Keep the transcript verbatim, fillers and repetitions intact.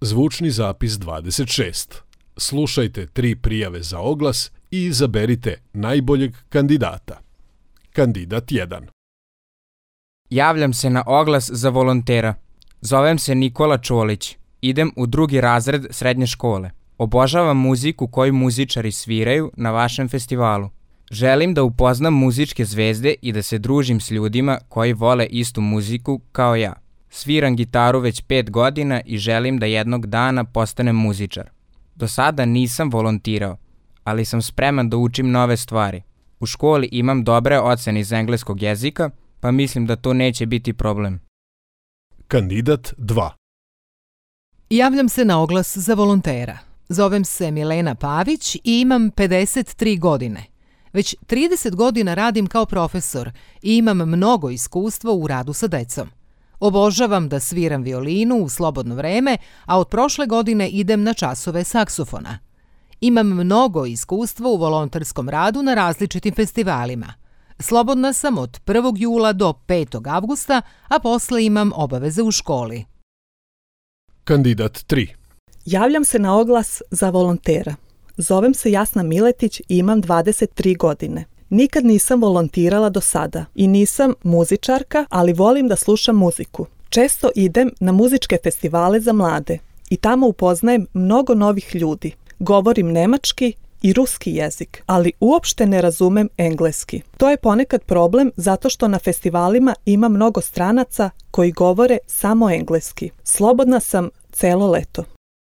Zvučni zapis dvadeset šest. Slušajte tri prijave za oglas i izaberite najboljeg kandidata. Kandidat jedan. Javljam se na oglas za volontera. Zovem se Nikola Čolić. Idem u drugi razred srednje škole. Obožavam muziku koju muzičari sviraju na vašem festivalu. Želim da upoznam muzičke zvezde i da se družim s ljudima koji vole istu muziku kao ja. Sviram gitaru već pet godina i želim da jednog dana postanem muzičar. Do sada nisam volontirao, ali sam spreman da učim nove stvari. U školi imam dobre ocene iz engleskog jezika, pa mislim da to neće biti problem. Kandidat dva. Javljam se na oglas za volontera. Zovem se Milena Pavić i imam pedeset tri godine. Već trideset godina radim kao profesor i imam mnogo iskustva u radu sa decom. Obožavam da sviram violinu u slobodno vreme, a od prošle godine idem na časove saksofona. Imam mnogo iskustva u volonterskom radu na različitim festivalima. Slobodna sam od prvog jula do petog avgusta, a posle imam obaveze u školi. Kandidat tri. Javljam se na oglas za volontera. Zovem se Jasna Miletić i imam dvadeset tri godine. Nikad nisam volontirala do sada i nisam muzičarka, ali volim da slušam muziku. Često idem na muzičke festivale za mlade i tamo upoznajem mnogo novih ljudi. Govorim nemački i ruski jezik, ali uopšte ne razumem engleski. To je ponekad problem zato što na festivalima ima mnogo stranaca koji govore samo engleski. Slobodna sam celo leto.